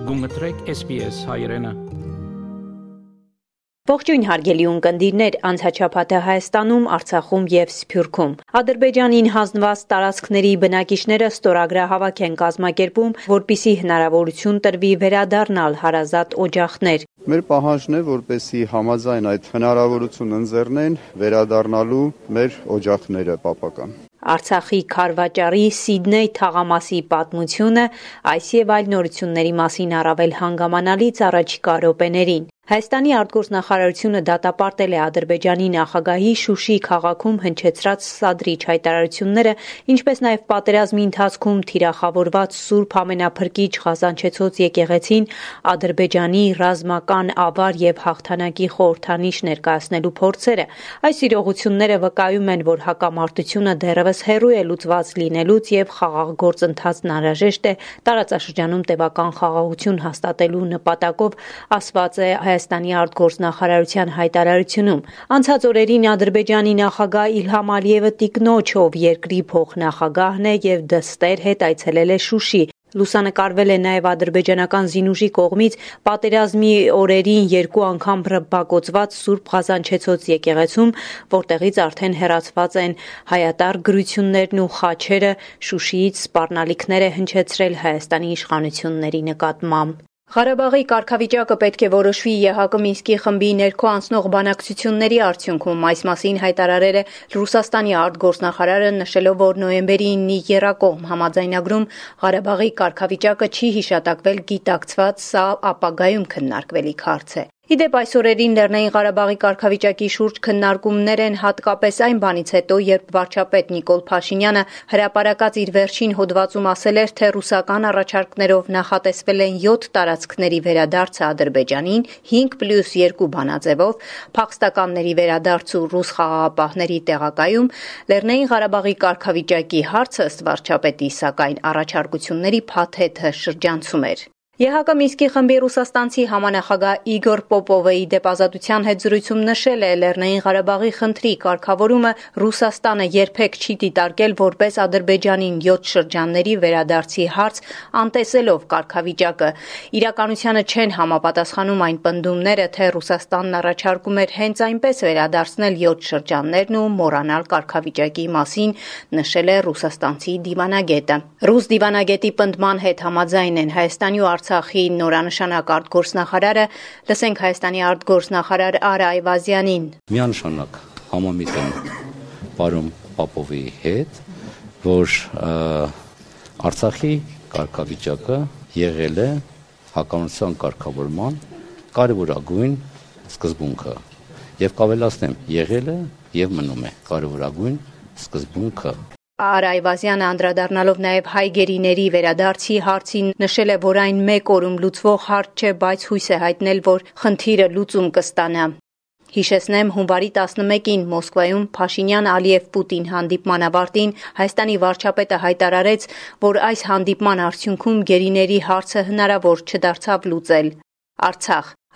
Գումտրեք SPS հայրենը։ Ողջույն հարգելի ունկնդիրներ, անցաչափաթը Հայաստանում, Արցախում եւ Սփյուռքում։ Ադրբեջանին հանձնված տարածքների բնակիչները ստորագրահավաք են կազմակերպում, որպիսի հնարավորություն տրվի վերադառնալ հարազատ օջախներ։ Մեր պահանջն է, որպեսզի համաձայն այդ հնարավորություն ընձեռնեն վերադառնալու մեր օջախները պապական։ Արցախի Քարվաճարի Սիդնեյ թաղամասի պատմությունը, այս եւ այլ նորությունների մասին առավել հանգամանալից առաջիկա րոպեներին։ Հայաստանի արտգործնախարարությունը դատապարտել է Ադրբեջանի նախագահի Շուշի քաղաքում հնչեցրած սադրիչ հայտարարությունները, ինչպես նաև պատերազմի ընթացքում թիրախավորված Սուրբ Ամենափրկիչ Ղազանչեցոց եկեղեցին Ադրբեջանի ռազմական ավար եւ հաղթանակի խորհրդանիշ ներկայացնելու փորձերը։ Այս իրողությունները վկայում են, որ հակամարտությունը դեռևս հեռու է լուծված լինելուց եւ խաղաղ գործընթացն անհրաժեշտ է տարածաշրջանում տևական խաղաղություն հաստատելու նպատակով, ասված է Հայաստանի արտգործնախարարության հայտարարությունում։ Անցած օրերին Ադրբեջանի նախագահ Իլհամ Ալիևը տիկնոջ, ով երկրի փոխնախագահն է եւ դստեր հետ այցելել է Շուշի։ Լուսանկարվել է նաև ադրբեջանական զինուժի կողմից պատերազմի օրերին 2 անգամ ռմբակոծված Սուրբ Ղազանչեցոց եկեղեցում, որտեղից արդեն հեռացված են հայատար գրություններն ու խաչերը, Շուշիից սպառնալիքներ է հնչեցրել Հայաստանի իշխանությունների նկատմամբ։ Ղարաբաղի կարգավիճակը պետք է որոշվի ԵՀԿ Մինսկի խմբի ներքո անցնող բանակցությունների արդյունքում, այս մասին հայտարարել է Ռուսաստանի արտգործնախարարը, նշելով, որ նոյեմբերի 9-ի եռակողմ համաձայնագրում Ղարաբաղի կարգավիճակը չի հիշատակվել գիտակցված, սա ապագայում քննարկվելիք հարց է։ Իդեպ այս օրերին Լեռնային Ղարաբաղի կարգավիճակի շուրջ քննարկումներ են հատկապես այն բանից հետո, երբ վարչապետ Նիկոլ Փաշինյանը հրապարակած իր վերջին հոդվածում ասել էր, թե ռուսական առաջարկներով նախատեսվել են 7 տարածքների վերադարձը Ադրբեջանին 5+2 բանաձևով, փախստականների վերադարձ ու ռուս խաղաղապահների տեղակայում, Լեռնային Ղարաբաղի կարգավիճակի հարցը ըստ վարչապետի, սակայն առաջարկությունների փաթեթը շրջանցում էր։ ԵՀԿ Մինսկի խմբի ռուսաստանցի համանախագահ Իգոր Պոպովը իդեպ Ազատության հետ զրույցում նշել է, Լեռնային Ղարաբաղի խնդրի կարգավորումը Ռուսաստանը երբեք չի դիտարկել որպես Ադրբեջանին 7 շրջանների վերադարձի հարց, անտեսելով կարգավիճակը։ Իրականությանը չեն համապատասխանում այն պնդումները, թե Ռուսաստանն առաջարկում էր հենց այնպես վերադարձնել 7 շրջաններն ու մոռանալ կարգավիճակի մասին, նշել է ռուսաստանցի դիվանագետը։ Ռուս դիվանագետի պնդման հետ համաձայն են Հայաստանի ու Արցախի նորանշանակ արտգործնախարարը, լսենք Հայաստանի արտգործնախարար Արա Այվազյանին։ Միանշանակ համամիտ եմ պարոն Պապովի հետ, որ Արցախի կարգավիճակը եղել է հակամարտության կարգավորման կարևորագույն սկզբունքը եւ կավելացնեմ, եղել է եւ մնում է կարևորագույն սկզբունքը։ Արա Այվազյանը անդրադառնալով նաև հայ գերիների վերադարձի հարցին նշել է, որ այն մեկ օրում լուծվող հարց չէ, բայց հույս է հայտնել, որ խնդիրը լուծում կստանա։ Հիշեցնեմ, հունվարի 11-ին Մոսկվայում Փաշինյան-Ալիև-Պուտին հանդիպման ավարտին Հայաստանի վարչապետը հայտարարեց, որ այս հանդիպման արդյունքում գերիների հարցը հնարավոր չդարձավ լուծել։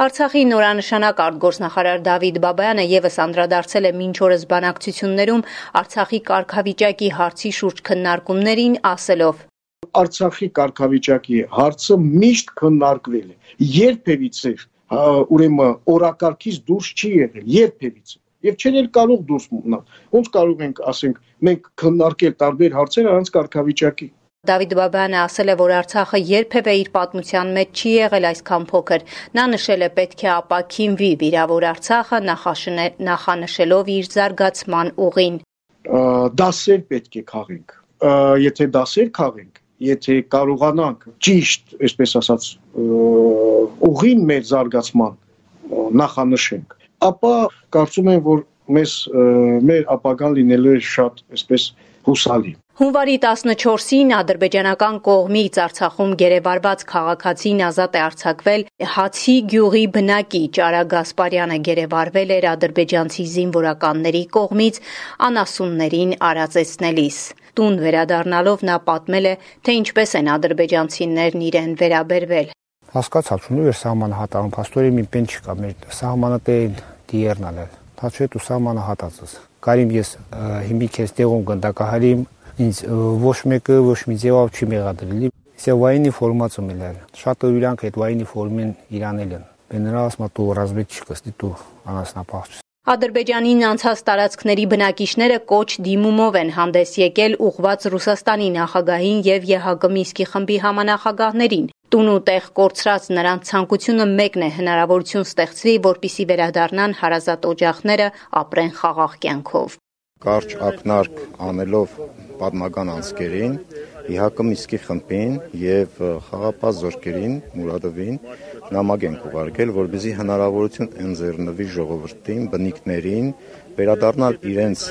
Արցախի նորանշանակ արտգործնախարար Դավիթ Բաբայանը եւս անդրադարձել է մինչ օրս բանակցություններում Արցախի կարգավիճակի հարցի շուրջ քննարկումներին, ասելով. Արցախի կարգավիճակի հարցը միշտ քննարկվել է։ Երբևիցե ուրեմն օրակարգից դուրս չի եղել, երբևիցե։ Եվ չեն էլ կարող դուրս մնալ։ Ոնց կարող ենք, ասենք, մենք քննարկել տարբեր հարցեր առանց կարգավիճակի։ Դավիթ Բաբայանը ասել է, որ Արցախը երբևէ իր պատմության մեջ չի եղել այսքան փոքր։ Նա նշել է, պետք է ապաքինվի վիրավոր Արցախը, նախանշելով իր զարգացման ուղին։ Դասեր պետք է քաղենք։ Եթե դասեր քաղենք, եթե կարողանանք ճիշտ, այսպես ասած, ուղին մեր զարգացման նախանշենք, ապա կարծում եմ, որ մեր ապագան լինելու է շատ, այսպես, հուսալի։ Հունվարի 14-ին ադրբեջանական կողմից Արցախում գերեվարված քաղաքացին ազատ է արձակվել Հացի գյուղի բնակիչ Արա Գասպարյանը գերեվարվել էր ադրբեջանցի զինվորականների կողմից անասուններին արածեցնելիս։ Տուն վերադառնալով նա պատմել է, թե ինչպես են ադրբեջանցիներն իրեն վերաբերվել։ Հասկացալ չունի էր սահմանը հատանում, փաստորեն մի պեն չկա, մեր սահմանը տեին դիերնալ էլ։ Թաչետ ու սահմանը հատածս։ Կարիմ ես հիմի քեզ տեղում գնդակահարիմ ինձ ոչ մեկը ոչ մի ձևով չի մեղադրելի։ Если военной форма цумилер, шато юлянка это военной формен иранелен. Бенералс мату разведчикас диту анас напахч. Ադրբեջանին անցած տարածքների բնակիչները կոչ դիմումով են հանդես եկել ուղղված Ռուսաստանի նախագահին եւ ԵՀԿ Մինսկի խմբի համանախագահներին։ Տուն ու տեղ կորցրած նրանց ցանկությունը մեկն է հնարավորություն ստեղծվի, որպիսի վերադառնան հարազատ օջախները, ապրեն խաղաղ կյանքով։ Կարճ ակնարկ անելով պատմական անցկերին, ԵՀԿ Մինսկի խմբին եւ խաղապահ զորքերին Մուրադովին նամակ ենք ուղարկել, որպեսզի հնարավորություն ընձեռնվի ժողովրդին, բնիկներին վերադառնալ իրենց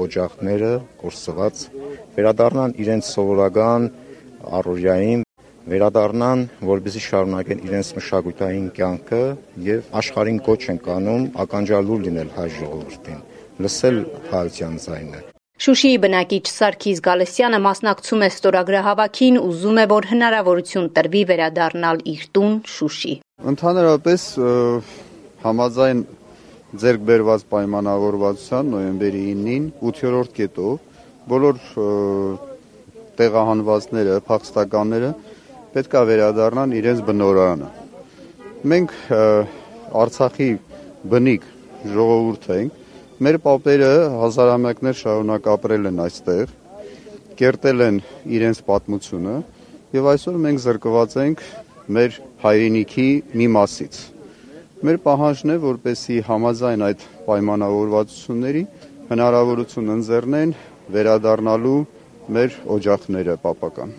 օջախները կորսված, վերադառնալ իրենց սովորական առօրյային, վերադառնան, որպեսզի շարունակեն իրենց մշակութային կյանքը եւ աշխարհին կոչ են կանում ականջալուր լինել հայ ժողովրդին, լսել հայության ձայնը։ Շուշիի բնակիչ Սարգիս Գալստյանը մասնակցում է ստորագրահավաքին, ուզում է, որ հնարավորություն տրվի վերադառնալ իր տուն Շուշի։ Ընդհանրապես համաձայն ձեռք բերված պայմանավորվածության նոյեմբերի 9-ին 8-րդ կետով բոլոր տեղահանվածները, փախստականները պետք է վերադառնան իրենց բնօրրանը։ Մենք Արցախի բնիկ ժողովուրդ ենք, մեր պապերը հազարամյակներ շարունակ ապրել են այստեղ, կերտել են իրենց պատմությունը եւ այսօր մենք զրկված ենք մեր հայրենիքի մի մասից։ Մեր պահանջն է, որպեսզի համաձայն այդ պայմանավորվածությունների հնարավորություն ընձեռնեն վերադառնալու մեր օջախները պապական։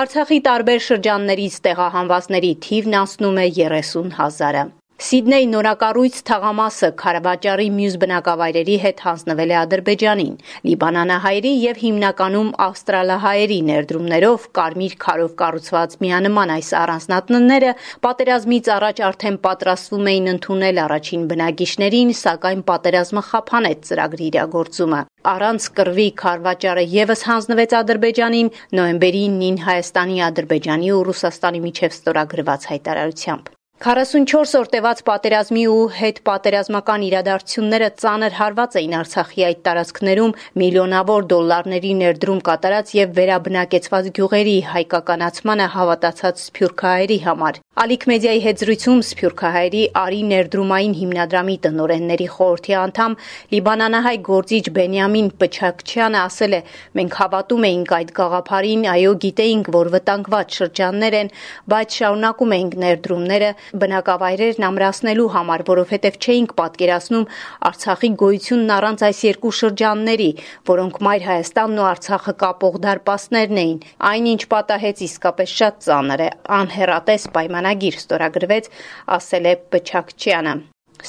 Արցախի տարբեր շրջաններից տեղահանվածների թիվն անցնում է 30,000-ը։ Սիդնեյ նորակառույց թաղամասը Քարավաճառի մյուս բնակավայրերի հետ հանձնվել է Ադրբեջանին։ Լիբանանահայերի եւ հիմնականում ավստրալահայերի ներդրումներով կարմիր քարով կառուցված միանման այս առանձնատնները պատերազմից առաջ արդեն պատրաստվում էին ընդունել առաջին բնակիչներին, սակայն պատերազմը խափանեց ծրագրի իրագործումը։ Առանց կռվի Քարվաճառը եւս հանձնվեց Ադրբեջանին նոյեմբերի 9-ին Հայաստանի, Ադրբեջանի ու Ռուսաստանի միջև ստորագրված հայտարարությամբ։ 44 օր տևած պատերազմի ու հետ պատերազմական իրադարձությունները ծանր հարված էին Արցախի այդ տարածքներում միլիոնավոր դոլարների ներդրում կատարած եւ վերաբնակեցված գյուղերի հայկականացմանը հավատացած սփյուռքահայերի համար։ Ալիք մեդիայի հետ զրույցում սփյուռքահայերի Արի ներդրումային հիմնադրամի տնօրենների խորհրդի անդամ լիբանանահայ գործիչ Բենյամին Պչակչյանը ասել է. «Մենք հավատում էինք այդ գաղափարին, այո, գիտեինք, որ վտանգված շրջաններ են, բայց շարունակում էինք ներդրումները բնակավայրերն ամրացնելու համար, որովհետև չէինք պատկերացնում Արցախի գոյությունն առանց այս երկու շրջանների, որոնք Մայր Հայաստանն ու Արցախը կապող դարպասներն էին։ Այնինչ պատահեց իսկապես շատ ծանր է, անհեռատես պայմանագիր ստորագրվեց», ասել է Պչակչյանը։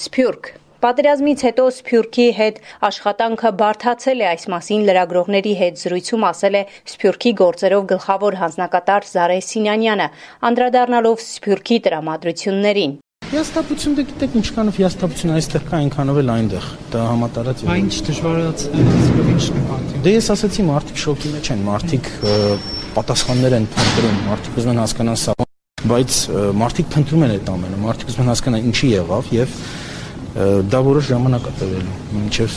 Սփյուռք Պատերազմից հետո Սփյուռքի հետ աշխատանքը բարդացել է, այս մասին լրագրողների հետ զրույցում ասել է Սփյուռքի գործերով գլխավոր հանձնակատար Զարե Սինանյանը, անդրադառնալով Սփյուռքի տրամադրություններին։ Հիասթափություն դե գիտեք ինչքանով հիասթափություն այստեղ կա, այնքանով էլ այնտեղ։ Դա համատարած է։ Ինչ դժվարացնում, ինչ նպատակ։ Դե ես ասացի, մարդիկ շոկի մեջ են, մարդիկ պատասխաններ են փնտրում, մարդիկ ուզում են հասկանալ սա, բայց մարդիկ փնտրում են այդ ամենը, մարդիկ ուզում են հասկանալ ինչի եղավ եւ դա որոշ ժամանակ է տևելու, մինչև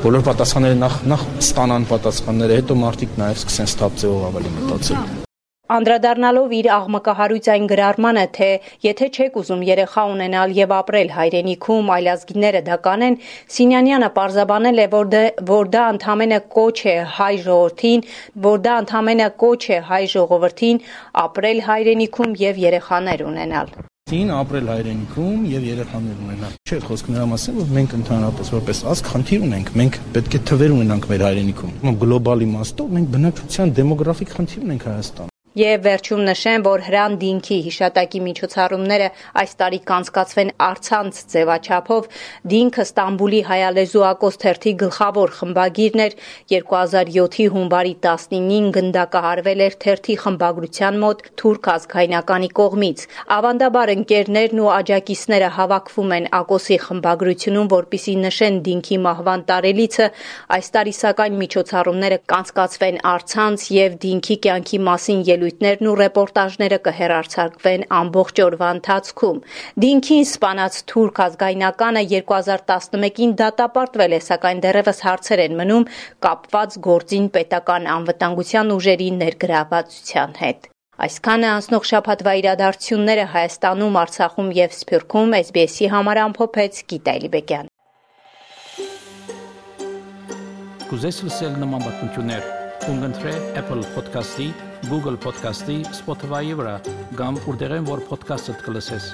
բոլոր պատասխանները նախ ստանան պատասխանները, հետո մարդիկ նաև սկսեն սթափձեով ավելի մտածել։ Անդրադառնալով իր աղմկահարույց այն գրառմանը, թե եթե չեք ուզում երեխա ունենալ եւ ապրել հայրենիքում, այլազգիները դա կանեն, Սինյանյանը պարզաբանել է, որ դա ընդամենը կոչ է հայ ժողովրդին ապրել հայրենիքում եւ երեխաներ ունենալ։ Ապրել հայրենիքում եւ երեխաներ ունենալ։ Չէ, խոսքը նրա մասին, որ մենք ընդհանրապես որպես ազգ խնդիր ունենք, մենք պետք է թվեր ունենանք մեր հայրենիքում։ Գլոբալ իմաստով մենք բնակչության դեմոգրաֆիկ խնդիր ունենք Հայաստանում։ Եվ վերջում նշեմ, որ Հրան Դինքի հիշատակի միջոցառումները այս տարի կանցկացվեն առցանց ձևաչափով։ Դինքը Ստամբուլի հայալեզու ակոս թերթի գլխավոր խմբագիրն էր, 2007-ի հունվարի 19-ին գնդակահարվել էր թերթի խմբագրության մոտ թուրք ազգայնականի կողմից։ Ավանդաբար ընկերներն ու աջակիցները հավաքվում են ակոսի խմբագրությունում, որպիսի նշեն Դինքի մահվան տարելիցը։ Այս տարի սակայն միջոցառումները կանցկացվեն առցանց եւ Դինքի կյանքի մասին ելույթներն ու ռեպորտաժները կհեռարձակվեն ամբողջ օրվա ընթացքում։ Դինքին սպանած թուրք ազգայնականը 2011-ին դատապարտվել է, սակայն դեռևս հարցեր են մնում կապված գործին պետական անվտանգության ուժերի ներգրավվածության հետ։ Այսքանը անցնող շաբաթվա իրադարձությունները Հայաստանում, Արցախում եւ Սփյուռքում SBS-ի համար ամփոփեց Գիտա Էլիբեկյան։ Կուզես լսել նման բանություններ, կընտրե Apple Podcast-ի, Google Podcast-ի, Spotify-ի վրա, կամ որտեղեն որ podcast-ը կլսես։